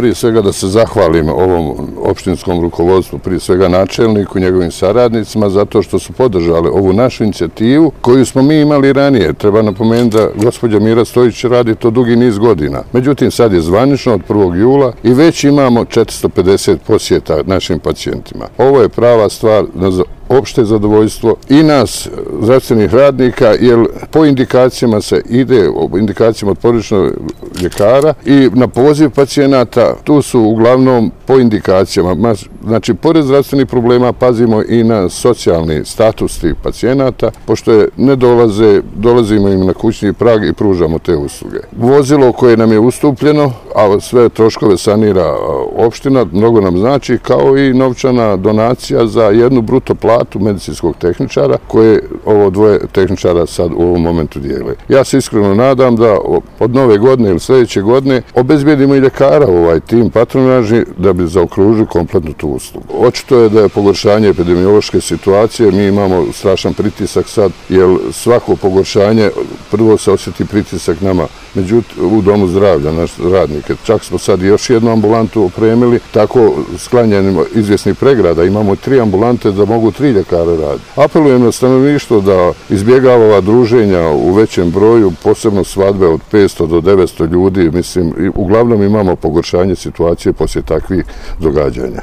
prije svega da se zahvalim ovom opštinskom rukovodstvu, prije svega načelniku i njegovim saradnicima, zato što su podržali ovu našu inicijativu koju smo mi imali ranije. Treba napomenuti da gospođa Mira Stojić radi to dugi niz godina. Međutim, sad je zvanično od 1. jula i već imamo 450 posjeta našim pacijentima. Ovo je prava stvar za opšte zadovoljstvo i nas, zdravstvenih radnika, jer po indikacijama se ide, indikacijama od porodičnog ljekara i na poziv pacijenata, tu su uglavnom po indikacijama. Znači, pored zdravstvenih problema pazimo i na socijalni status tih pacijenata, pošto ne dolazimo im na kućni prag i pružamo te usluge. Vozilo koje nam je ustupljeno, a sve troškove sanira opština, mnogo nam znači, kao i novčana donacija za jednu bruto platu medicinskog tehničara, koje ovo dvoje tehničara sad u ovom momentu dijele. Ja se iskreno nadam da od nove godine ili sljedeće godine obezbijedimo i ljekara u ovaj tim patronažni da bi zaokružili kompletnu tu uslugu. Očito je da je pogoršanje epidemiološke situacije, mi imamo strašan pritisak sad, jer svako pogoršanje, prvo se osjeti pritisak nama, međutim u domu zdravlja, naš radnike. Čak smo sad još jednu ambulantu opremili, tako sklanjanjem izvjesnih pregrada, imamo 3 ambulante da mogu 3 ljekara raditi. Apelujem na stanovništvo da izbjegava ova druženja u većem broju, posebno svadbe od 500 do 900 ljudi, mislim, uglavnom imamo pogoršanje situacije poslije takvih događanja.